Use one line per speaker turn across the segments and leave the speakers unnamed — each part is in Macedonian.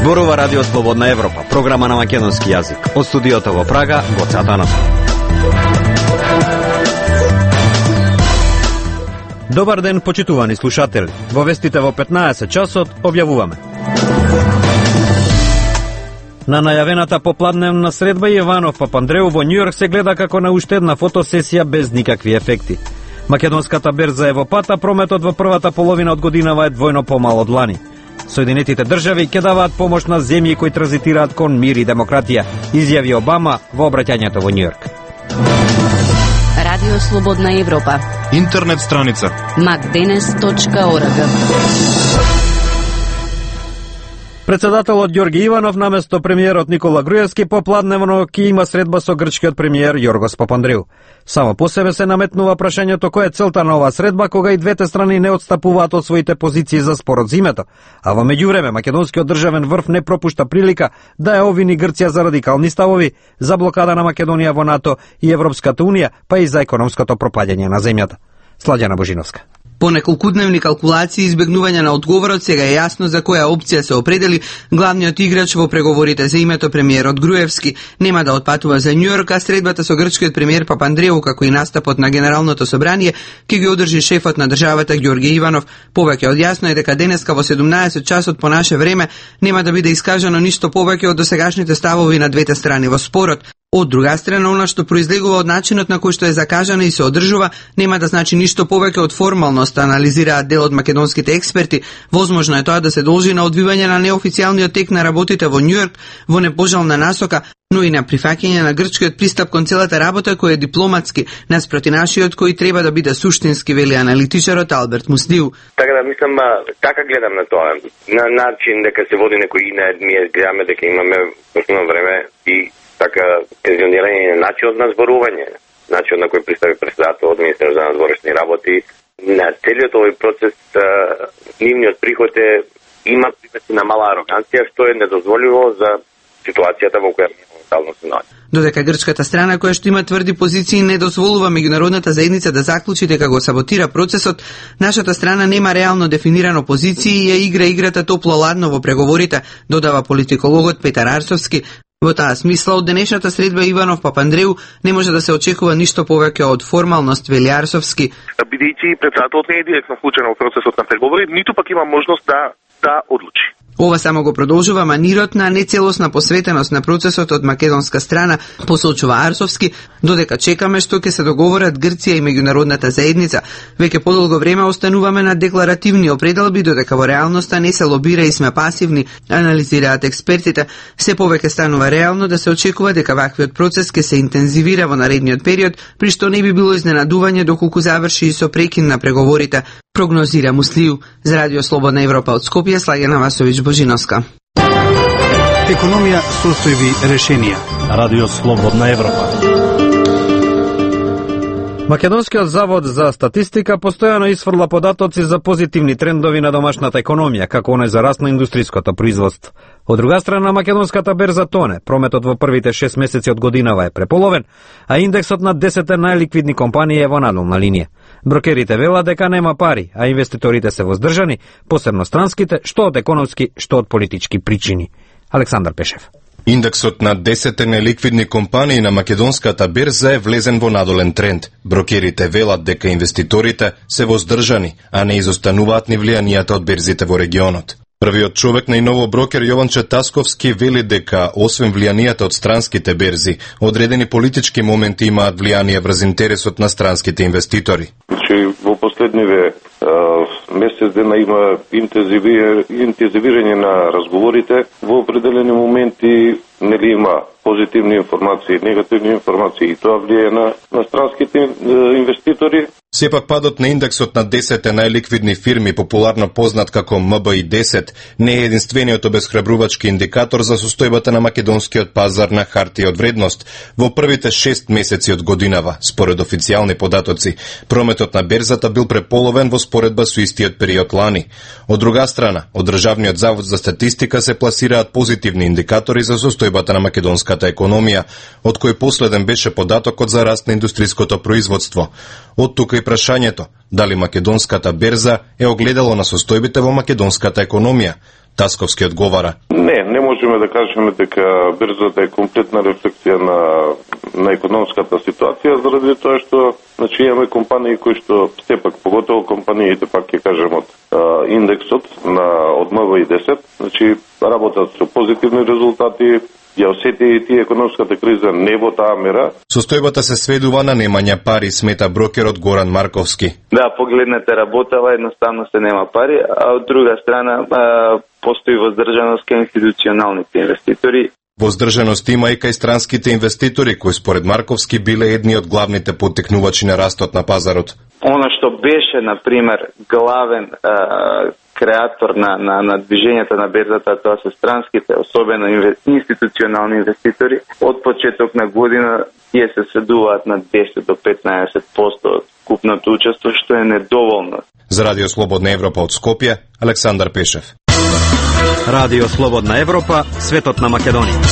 Зборува Радио Слободна Европа, програма на македонски јазик. Од студиото во Прага, Гоце Атанасов. Добар ден, почитувани слушатели. Во вестите во 15 часот објавуваме. На најавената попладневна средба Јованов Папандреу во Њујорк се гледа како на уште една фотосесија без никакви ефекти. Македонската берза е во пата, прометот во првата половина од годинава е двојно помал од лани. Соединетите држави ќе даваат помош на земји кои транзитираат кон мир и демократија, изјави Обама во обраќањето во Њујорк.
Радио Слободна Европа.
Интернет страница
macdenes.org.
Председателот Ѓорги Иванов наместо премиерот Никола Груевски попладневно ќе има средба со грчкиот премиер Јоргос Папандреу. Само по себе се наметнува прашањето која е целта на оваа средба кога и двете страни не отстапуваат од своите позиции за спорот за името, а во меѓувреме македонскиот државен врв не пропушта прилика да ја обвини Грција за радикални ставови, за блокада на Македонија во НАТО и Европската унија, па и за економското пропаѓање на земјата. Сладјана Божиновска.
По неколкудневни калкулации и избегнување на одговорот, сега е јасно за која опција се определи главниот играч во преговорите за името премиерот Груевски. Нема да отпатува за Њујорк, а средбата со грчкиот премиер Папандреу, како и настапот на Генералното собрание, ќе ги одржи шефот на државата Ѓорги Иванов. Повеќе од јасно е дека денеска во 17 часот по наше време нема да биде искажано ништо повеќе од досегашните ставови на двете страни во спорот. Од друга страна, она што произлегува од начинот на кој што е закажана и се одржува, нема да значи ништо повеќе од формалност, анализираат дел од македонските експерти. Возможно е тоа да се должи на одвивање на неофицијалниот тек на работите во Њујорк во непожелна насока, но и на прифаќање на грчкиот пристап кон целата работа кој е дипломатски, наспроти нашиот кој треба да биде суштински, вели аналитичарот Алберт Муслиу.
Така да мислам, така гледам на тоа. На начин дека се води некој ние гледаме дека имаме точно време и така пензионирање на начинот на зборување, начинот на кој представи председателот министерот за надворешни работи. На целиот овој процес нивниот приход има примеси на мала ароганција, што е недозволиво за ситуацијата во која моментално се наоѓа.
Додека грчката страна која што има тврди позиции не дозволува меѓународната заедница да заклучи дека го саботира процесот, нашата страна нема реално дефинирано позиции и ја игра играта топло-ладно во преговорите, додава политикологот Петар Арсовски. Во таа смисла, од денешната средба Иванов Папандреу не може да се очекува ништо повеќе од формалност, вели Арсовски.
Бидејќи председателот не е директно вклучен во процесот на преговори, ниту пак има можност да одлучи.
Ова само го продолжува манирот на нецелосна посветеност на процесот од македонска страна, посочува Арсовски, додека чекаме што ќе се договорат Грција и меѓународната заедница. Веќе подолго време остануваме на декларативни определби, додека во реалноста не се лобира и сме пасивни, анализираат експертите. Се повеќе станува реално да се очекува дека ваквиот процес ќе се интензивира во наредниот период, при што не би било изненадување доколку заврши и со прекин на преговорите, прогнозира Муслиу. За Радио Слободна Европа од Скопје, Слагена Васовиќ Божиновска.
Економија, состојби, решенија.
Радио Слободна Европа.
Македонскиот завод за статистика постојано исфрла податоци за позитивни трендови на домашната економија, како оној за раст на индустријското производство. Од друга страна, македонската берза тоне, прометот во првите 6 месеци од годинава е преполовен, а индексот на 10 најликвидни компании е во надолна линија. Брокерите велат дека нема пари, а инвеститорите се воздржани, посебно странските, што од економски, што од политички причини. Александар Пешев.
Индексот на 10 неликвидни компании на македонската берза е влезен во надолен тренд. Брокерите велат дека инвеститорите се воздржани, а не изостануваат ни влијанијата од берзите во регионот. Првиот човек на иново брокер Јован Четасковски вели дека, освен влијанијата од странските берзи, одредени политички моменти имаат влијание врз интересот на странските инвеститори.
Во последниве месец дена има интензивирање на разговорите. Во определени моменти има позитивни информации, негативни информации и тоа влијае на странските инвеститори.
Сепак падот на индексот на 10 најликвидни фирми, популарно познат како МБИ-10, не е единствениот обесхрабрувачки индикатор за состојбата на македонскиот пазар на хартија од вредност. Во првите 6 месеци од годинава, според официјални податоци, прометот на берзата бил преполовен во споредба со истиот период лани. Од друга страна, од Државниот завод за статистика се пласираат позитивни индикатори за состојбата на македонската економија, од кој последен беше податокот за раст на индустријското производство. Од тука и прашањето, дали македонската берза е огледало на состојбите во македонската економија. Тасковски одговара.
Не можеме да кажеме дека берзата е комплетна рефлексија на економската ситуација, заради тоа што имаме компании кои што сепак, поготово компаниите, пак ќе кажем од индексот од МВИ-10, работат со позитивни резултати. Ја осети и тие економската криза не во таа мера.
Состојбата се сведува на немање пари, смета брокерот Горан Марковски.
Да, погледнете, работела, едноставно се нема пари, а од друга страна постои воздржаност кај институционалните инвеститори.
Воздржаност има и кај странските инвеститори, кои според Марковски биле едни од главните поттикнувачи на растот на пазарот.
Оно што беше, например, главен креатор на движењата на берзата, тоа се странските, особено институционални инвеститори. Од почеток на година тие се сведуваат на 10 до 15% од купното учество, што е недоволно.
За Радио Слободна Европа од Скопје, Александар Пешев.
Радио Слободна Европа, светот на Македонија.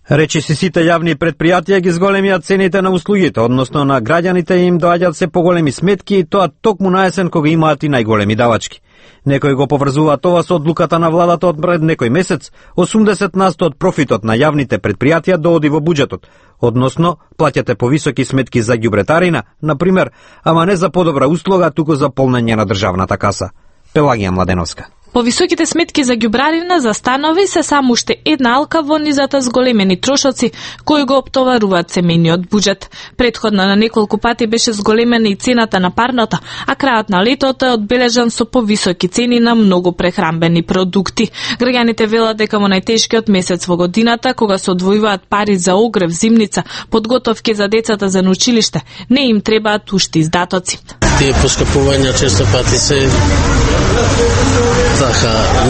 Речиси сите јавни предпријатија ги зголемија цените на услугите, односно на граѓаните им доаѓаат се поголеми сметки и тоа токму на есен кога имаат и најголеми давачки. Некои го поврзуваат тоа со одлуката на владата од пред некој месец, 80% од профитот на јавните предпријатија дооди во буџетот, односно плаќате повисоки сметки за ѓубретарина, например, ама не за подобра услуга, туку за полнење на државната каса. Пелагија Младеновска.
Повисоките сметки за ѓубрарина за станови се само уште една алка во низата зголемени трошоци кои го оптоваруваат семејниот буџет. Претходно на неколку пати беше зголемена и цената на парното, а крајот на летото е одбележан со повисоки цени на многу прехранбени продукти. Граѓаните велат дека во најтешкиот месец во годината, кога се одвојуваат пари за огрев, зимница, подготовки за децата за училиште, не им требаат уште издатоци.
Тие поскапувања често пати се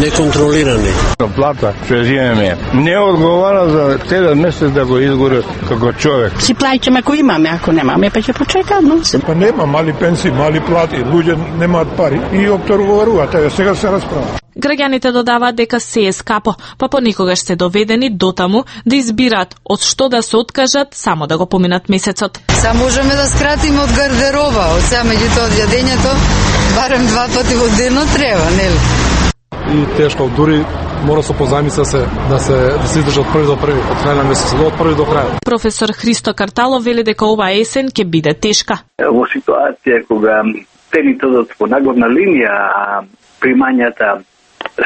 неконтролирани.
Плата што земеме не одговара за целиот месец да го изгори како човек.
Си плаќаме ако имаме, ако немаме па ќе почекаат, но се.
Па нема мали пенсии, мали плати, луѓе немаат пари и обторуваат, ево сега се расправа.
Граѓаните додаваат дека се е скапо, па понекогаш се доведени дотаму да избираат од што да се откажат само да го поминат месецот.
Само можеме да скратиме од гардероба, од сега меѓутоа од јадењето барем 2 пати во денот треба, нели?
И тешко, дури мора со позајмица да се издржат од први до први, од крај на месецот, од први до крај.
Професор Христо Карталов вели дека оваа есен ќе биде тешка.
Во ситуација кога цените одат по нагорна линија, а примањата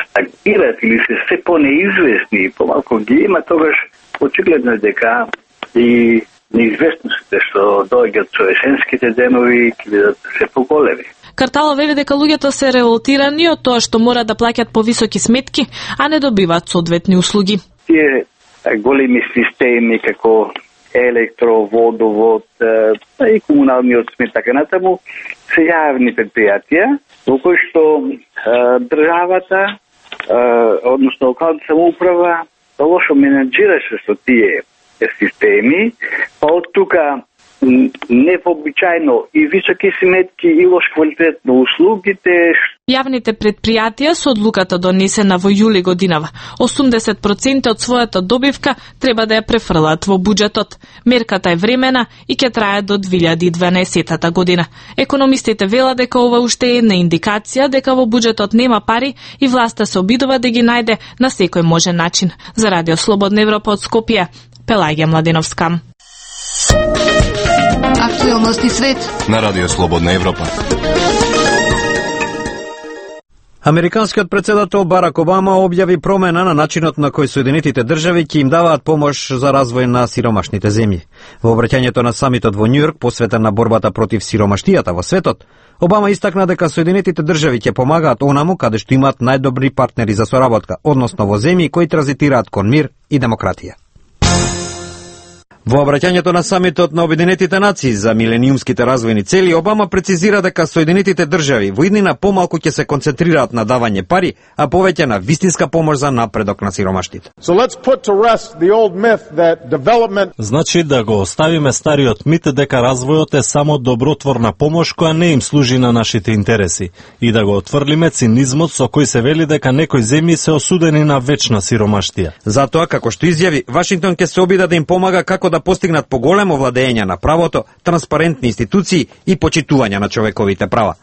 стагнират или се по-неизвестни и помалку ги има, тогаш очигледно дека и неизвестностите што доаѓаат со есенските денови ќе бидат се поголеми.
Карталов вели дека луѓето се револтирани од тоа што мора да плаќат повисоки сметки, а не добиваат соодветни услуги.
Тие големи системи како електро, водовод и комуналниот смет, така натаму, се јавни предпријатија во кои што државата, односно локалната самоуправа, лошо менеджираше со тие системи, па од тука невообичајно и високи сметки и лош квалитет на услугите.
Јавните предпријатија со одлуката донесена во јули годинава, 80% од својата добивка треба да ја префрлат во буџетот. Мерката е времена и ќе трае до 2012 година. Економистите велат дека ова уште е една индикација дека во буџетот нема пари и власта се обидува да ги најде на секој можен начин. За Радио Слободна Европа од Скопје, Пелагија Младеновска.
Актуелности свет
на Радио Слободна Европа.
Американскиот председател Барак Обама објави промена на начинот на кој Соединетите држави ќе им даваат помош за развој на сиромашните земји. Во обраќањето на самитот во Њујорк, посветен на борбата против сиромаштијата во светот, Обама истакна дека Соединетите држави ќе помагаат онаму каде што имаат најдобри партнери за соработка, односно во земји кои транзитираат кон мир и демократија. Во обраќањето на самитот на Обединетите нации за милениумските развојни цели, Обама прецизира дека Соединетите држави во иднина помалку ќе се концентрираат на давање пари, а повеќе на вистинска помош за напредок на сиромаштите.
Значи да го оставиме стариот мит дека развојот е само добротворна помош која не им служи на нашите интереси и да го отфрлиме цинизмот со кој се вели дека некои земји се осудени на вечна сиромаштија.
Затоа, како што изјави, Вашингтон ќе се обида да им помага како да постигнат поголемо владење на правото, транспарентни институции и почитување на човековите права.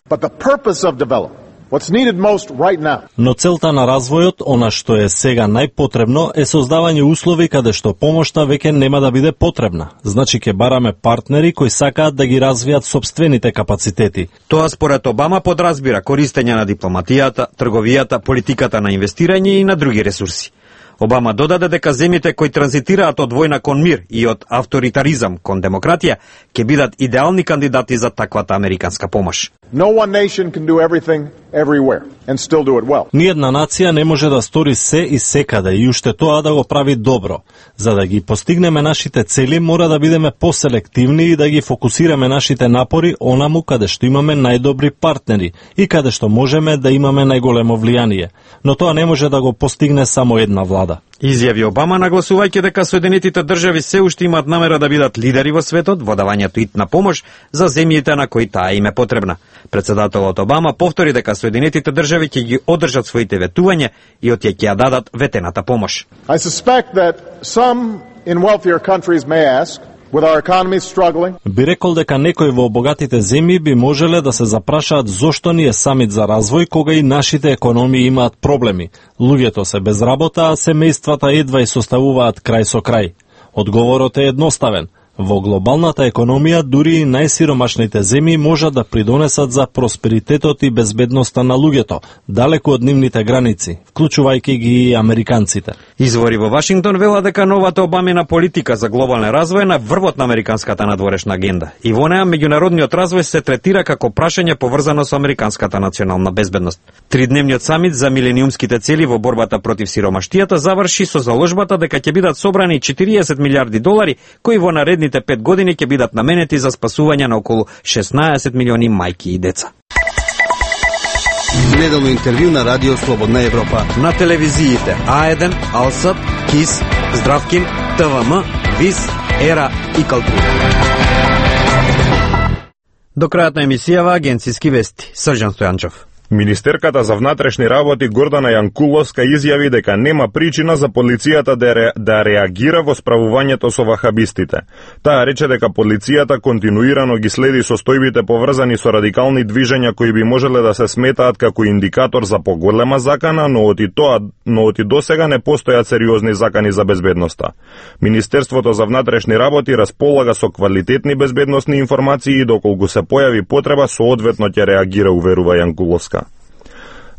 What's needed most right now.
Но целта на развојот, она што е сега најпотребно, е создавање услови каде што помошта веќе нема да биде потребна. Значи ќе бараме партнери кои сакаат да ги развијат сопствените капацитети.
Тоа според Обама подразбира користење на дипломатијата, трговијата, политиката на инвестирање и на други ресурси. Обама додаде дека земјите кои транзитираат од војна кон мир и од авторитаризам кон демократија ќе бидат идеални кандидати за таквата американска помош.
No one nation can do everything everywhere and still do it well.
Ниедна нација не може да стори се и секаде и уште тоа да го прави добро. За да ги постигнеме нашите цели, мора да бидеме поселективни и да ги фокусираме нашите напори онаму каде што имаме најдобри партнери и каде што можеме да имаме најголемо влијание. Но тоа не може да го постигне само една влада.
Изјави Обама, нагласувајќи дека Соединетите држави се уште имаат намера да бидат лидери во светот во давањето итна помош за земјите на кои таа им е потребна. Председателот Обама повтори дека Соединетите држави ќе ги одржат своите ветувања и од ќе ја дадат ветената помош.
I suspect that some in wealthier countries may ask, with our economy struggling,
би рекол дека некои во богатите земји би можеле да се запрашаат зошто ни е самит за развој кога и нашите економии имаат проблеми. Луѓето се без работа, а семејствата едва и составуваат крај со крај. Одговорот е едноставен. Во глобалната економија дури и најсиромашните земји можат да придонесат за просперитетот и безбедноста на луѓето, далеку од нивните граници, вклучувајќи ги и американците.
Извори во Вашингтон велат дека новата Обамина политика за глобален развој е на врвот на американската надворешна агенда и во неа меѓународниот развој се третира како прашање поврзано со американската национална безбедност. Тридневниот самит за милениумските цели во борбата против сиромаштијата заврши со заложбата дека ќе бидат собрани 40 милиарди долари кои во наредните 5 години ќе бидат наменети за спасување на околу 16 милиони мајки и деца.
Неделно интервју на Радио Слободна Европа.
На телевизиите А1, Алсат, КИС, Здравкин, ТВМ, ВИС, ЕРА и Калтура. До крајот на емисијава агенцијски вести. Срđan Стојанчов.
Министерката за внатрешни работи Гордана Јанкуловска изјави дека нема причина за полицијата да реагира во справувањето со вахабистите. Таа рече дека полицијата континуирано ги следи состојбите поврзани со радикални движења кои би можеле да се сметаат како индикатор за поголема закана, но од и досега не постојат сериозни закани за безбедноста. Министерството за внатрешни работи располага со квалитетни безбедносни информации и доколку се појави потреба соодветно ќе реагира, уверува Јанкуловска.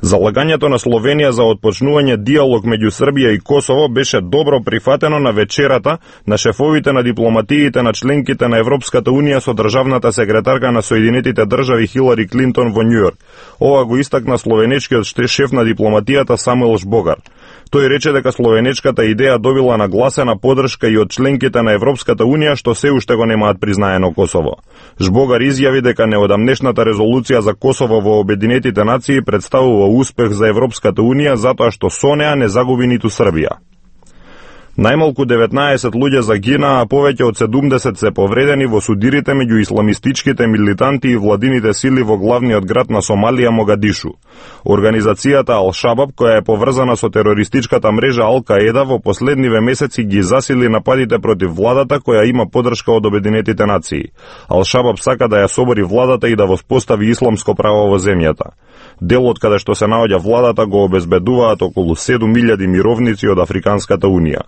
Залагањето на Словенија за отпочнување диалог меѓу Србија и Косово беше добро прифатено на вечерата на шефовите на дипломатиите на членките на Европската Унија со државната секретарка на Соединетите држави Хилари Клинтон во Њујорк. Ова го истакна словенечкиот шеф на дипломатијата Самуел Жбогар. Тој рече дека словенечката идеја добила нагласена поддршка и од членките на Европската Унија што се уште го немаат признаено Косово. Жбогар изјави дека неодамнешната резолуција за Косово во Обединетите нации представува успех за Европската Унија затоа што со неа не загуби ниту Србија. Најмалку 19 луѓе загинаа, а повеќе од 70 се повредени во судирите меѓу исламистичките милитанти и владините сили во главниот град на Сомалија, Могадишу. Организацијата Ал-Шабаб, која е поврзана со терористичката мрежа Ал-Каеда, во последниве месеци ги засили нападите против владата која има поддршка од Обединетите нации. Ал-Шабаб сака да ја собори владата и да воспостави исламско право во земјата. Делот каде што се наоѓа владата го обезбедуваат околу 7000 мировници од Африканската Унија.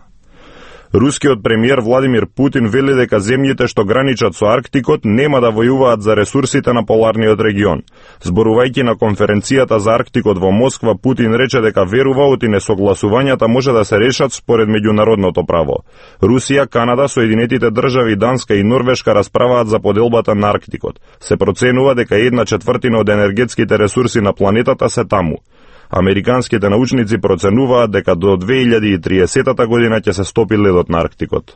Рускиот премиер Владимир Путин вели дека земјите што граничат со Арктикот нема да војуваат за ресурсите на поларниот регион. Зборувајќи на конференцијата за Арктикот во Москва, Путин рече дека верува оти несогласувањата може да се решат според меѓународното право. Русија, Канада, Соединетите држави, Данска и Норвешка расправаат за поделбата на Арктикот. Се проценува дека 1/4 од енергетските ресурси на планетата се таму. Американските научници проценуваат дека до 2030 година ќе се стопи ледот на Арктикот.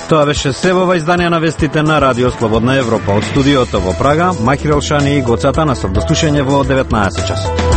Тоа беше се во издание на вестите на Радио Слободна Европа. Од студиото во Прага, Махир Елшани и Гоцата на слушање во 19 часот.